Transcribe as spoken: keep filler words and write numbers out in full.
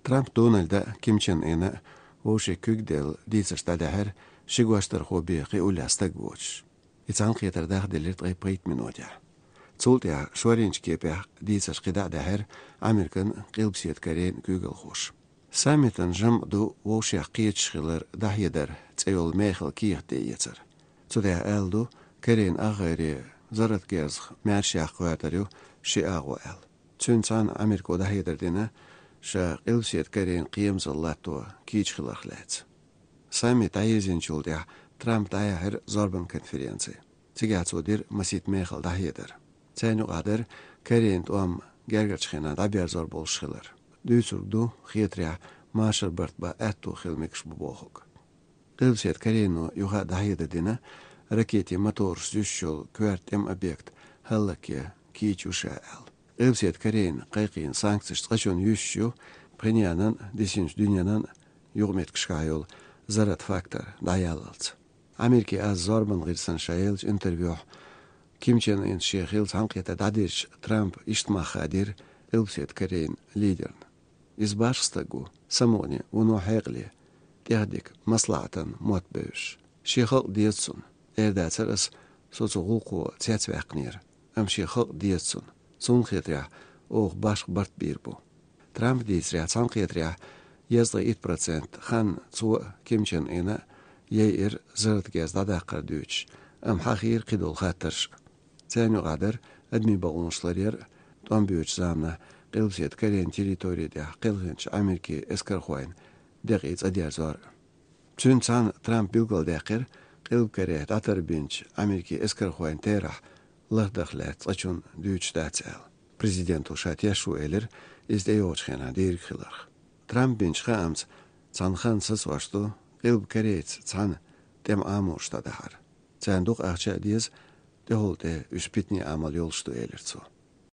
Трамп Дональда, Ким Чен Ына вовши куьг делла дийцарш дӀадаьхьира ши гочдархо бен кхиуллехь стаг воцуш. И цхьаьнакхетар дахделира ткъе пхийтта минотехь. Цул тӀаьхьа шоринчу кепехь дийцарш кхидӀа а даьхьира Американ, Къилбаседа Корейн куьйгалхоша. Саммитан жамӀ ду вовшех кхеташ хилар дӀахьедар цӀе йолу мехала кехат тӀеэцар. Цу тӀехь аьлла ду, Корейн агӀере зарратан герзах маьршех кхоьртар ю ши агӀо аьлла. Цуьнца цхьаьна Америко дӀахьедар дина, ша Къилбаседа Корейн кхерамзалла латто кийча хиларх лаьцна. Саммит дӀаерзинчул тӀаьхьа Трампа дӀаяьхьира зорбан конференци. Цигахь цо дира масийтта мехала дӀахьедар. Царна юкъахь дара Корейн тӀом гергарчу хенахь дӀаберзор болуш хилар. Дуьйцург ду, хетарехь, машар барт бан аьтто хила мегаш бу бохург. Къилбаседа Корейно юха а дӀахьедар дина, ракетийн мотораш зуьйш йолу коьрта тӀеман объект хӀаллакъян кийча ю ша аьлла. Къилбаседа Корейна кхайкхийна санкцеш цкъачунна юьсуш ю, Пхеньянан а, дисинчу дуьненан а юкъаметтигашкахь йолу зарратан фактор дӀаяллалц. Америкин аз зорбан гӀирсана ша еллачу интервьюхь Ким Чен Ынца шен хилла цхьаьнакхетар дӀадирзича, Трампа иштта мах хадийра Къилбаседа Корейн лидерна. Иза башха стаг ву, самукъане, вуно хьекъале, тӀехдика, маслаӀатан мотт бевзаш. Шен халкъ деза цунна. Эр дацара ас, со цу гӀуллакхо цецваьккхинера, амма шен халкъ деза цунна. Цунна хетарехь, оха башха барт бийр бу. Трампа дийцарехь, цхьаьнакхетарехь, дезткъе итт процент хан цо а, Ким Чен Ына а яйира зарратан герз дӀадаккхар дуьйцуш, амма хьахийра кхидолу хаттарш а. Царна юкъахь дара адамийн бакъонаш ларъяр а, тӀом боьдучу заманахь Къилбаседа Корейн территори тӀехь кхелхинчу Америкин эскархойн декъий цӀа дерзор а. Цуьнца цхьаьна Трампа билгалдаьккхира, Къилба Корейхь дӀатарбинчу Америкин эскархойн терахь лахдарх лаьцна цкъачунна дуьйцуш дац аьлла. Президенто ша тешо элира, иза тӀейогӀучу хенахь дийриг хиларх. Трампа бинчу хаамца, цхьана ханна сацош ду Къилба Корейца цхьаьна тӀеман Ӏаморш дӀадахьар. Царна дукха ахча а деза, тӀехула тӀе уьш питанийн Ӏамал йолуш ду, элира цо.